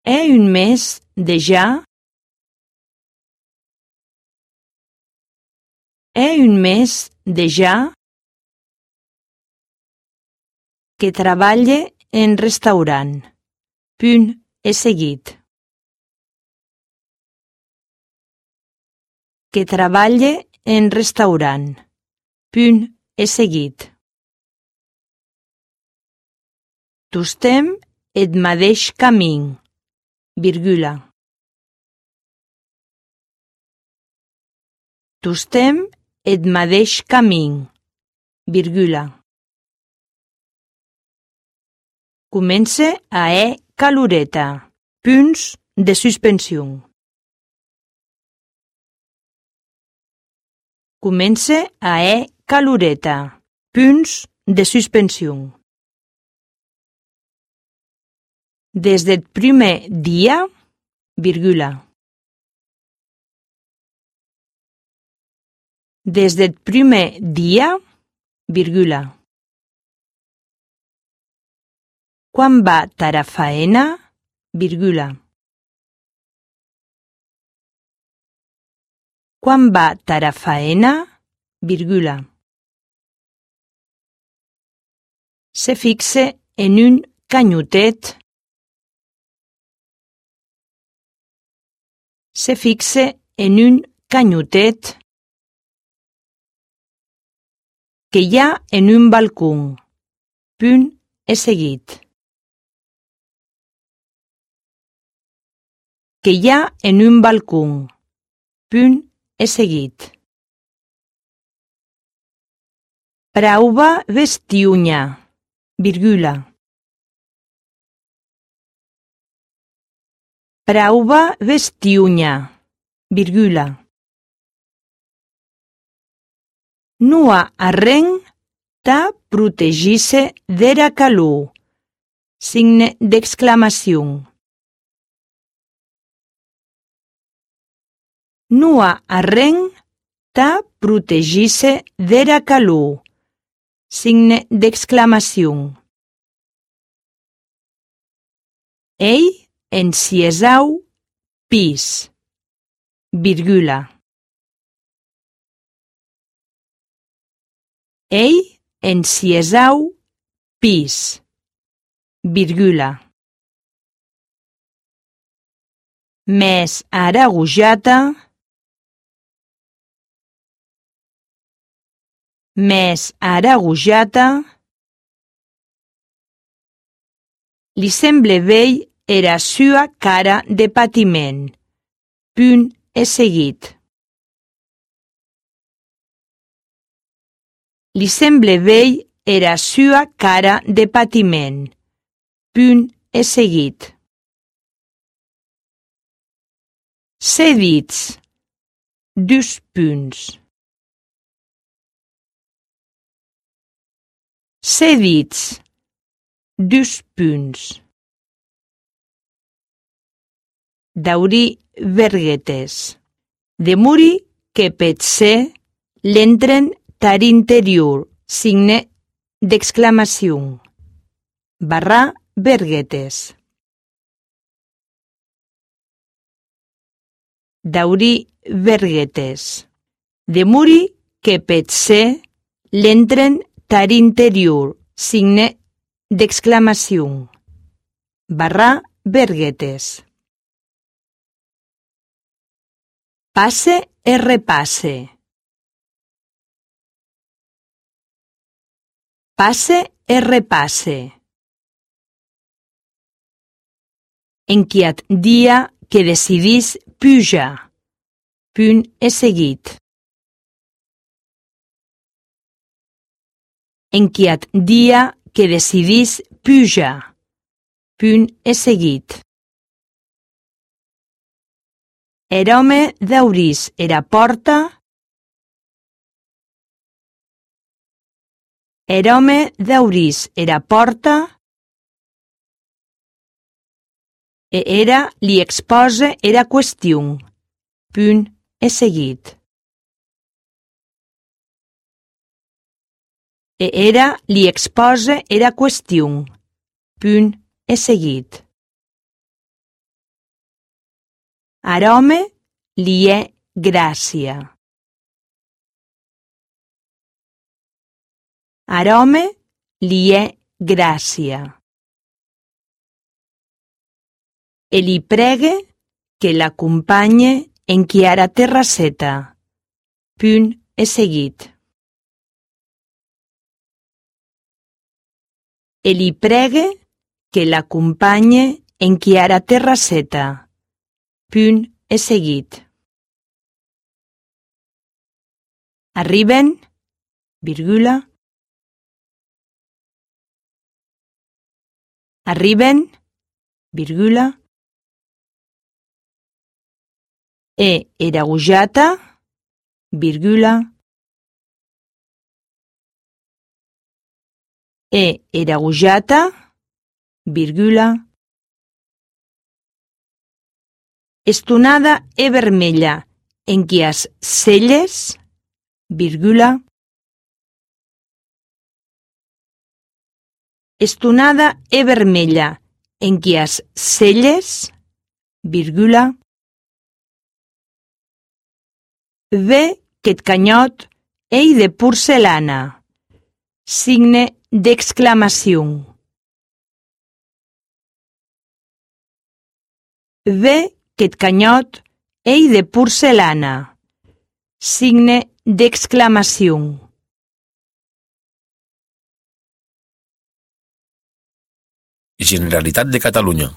È un mes déjà? È un mes déjà que treballe en restaurant. Punt és seguit. Que treballe en restaurant. Punt és seguit. Tostem eth madeish camin. Virgula. Tostem eth madeish camin. Virgula. Comence a caloreta. Punts de suspensió. Comence a caloreta. Punts de suspensió. Des del primer dia, virgula. Des del primer dia, virgula. Quan va tara faena, virgula. Quan va tara faena, virgula. Se fixe en un canyotet. Se fixe en un canyotet que hi ha en un balcó. Punt és seguit. Que hi ha en un balcó. Punt és seguit. Prauva vestiunya, virgula. Prauva vestiunya, virgula. Nua arren ta protegisse dera calor. Signe d'exclamació. Nua arren ta protegisse dera calor. Signe d'exclamació. Ei enciesau pis, virgula. Ei enciesau pis, virgula. Mes aragujata, mes aragujata, li semble vell era sua cara de patiment. Punt és seguit. Li semble vell era sua cara de patiment. Punt és seguit. Cedits. Dus punts. Cedits. Dus punts. Daurí verguetes. Demuri que potser l'entren tar interior. Signe d'exclamació. Barra verguetes. Daurí verguetes. Demuri que potser l'entren tar interior. Signe d'exclamació. Barra verguetes. Passe e repasse. Passe e repasse. Enquiat dia que decidís pujar. Punt és seguit. Enquiat dia que decidís pujar. Punt és seguit. Er home daurís era porta. Er home daurís era porta. E era li expose era qüestió. Punt és seguit. E era li expose era qüestió. Punt és seguit. Arome li è gràcia. Arome li è gràcia. E li pregue que l'acompanye en chiara terrasseta. Punt e seguit. E li pregue que l'acompanye en chiara terrasseta. Punt e seguit. Arriben, virgula. Arriben, virgula. E era usata, virgula. E era usata, virgula. Estonada e vermella en qui as celles, virgula. Estonada e vermella en qui as celles, virgula. Ve qu'eth canyot ei de porcelana, signe d'exclamació. Ve qu'eth canyot ei de porcelana, signe d'exclamació. Generalitat de Catalunya.